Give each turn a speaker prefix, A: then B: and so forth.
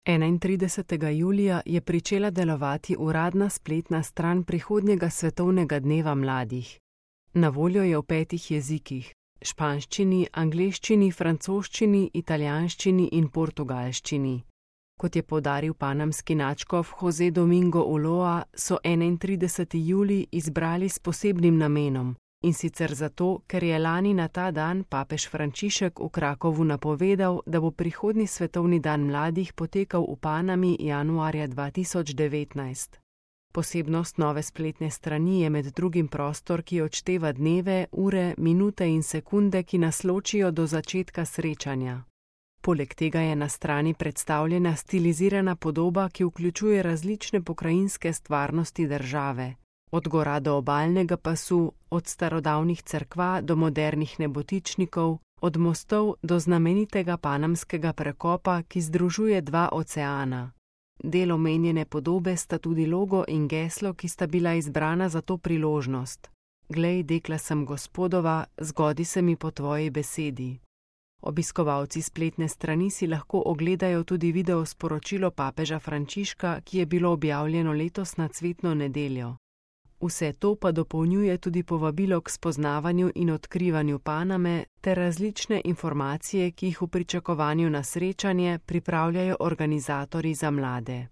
A: 31. julija je pričela delovati uradna spletna stran prihodnjega svetovnega dneva mladih. Na voljo je v 5 jezikih: španščini, angleščini, francoščini, italijanščini in portugalščini. Kot je poudaril panamski nadškof José Domingo Ulloa, so 31. julij izbrali s posebnim namenom, in sicer zato, ker je lani na ta dan papež Frančišek v Krakovu napovedal, da bo prihodnji svetovni dan mladih potekal v Panami januarja 2019. Posebnost nove spletne strani je med drugim prostor, ki odšteva dneve, ure, minute in sekunde, ki nas ločijo do začetka srečanja. Poleg tega je na strani predstavljena stilizirana podoba, ki vključuje različne pokrajinske stvarnosti države. Od gora do obalnega pasu, od starodavnih cerkva do modernih nebotičnikov, od mostov do znamenitega panamskega prekopa, ki združuje 2 oceana. Del omenjene podobe sta tudi logo in geslo, ki sta bila izbrana za to priložnost. Glej, dekla sem Gospodova, zgodi se mi po tvoji besedi. Obiskovalci spletne strani si lahko ogledajo tudi video sporočilo papeža Frančiška, ki je bilo objavljeno letos na cvetno nedeljo. Vse to pa dopolnjuje tudi povabilo k spoznavanju in odkrivanju Paname ter različne informacije, ki jih v pričakovanju na srečanje pripravljajo organizatorji za mlade.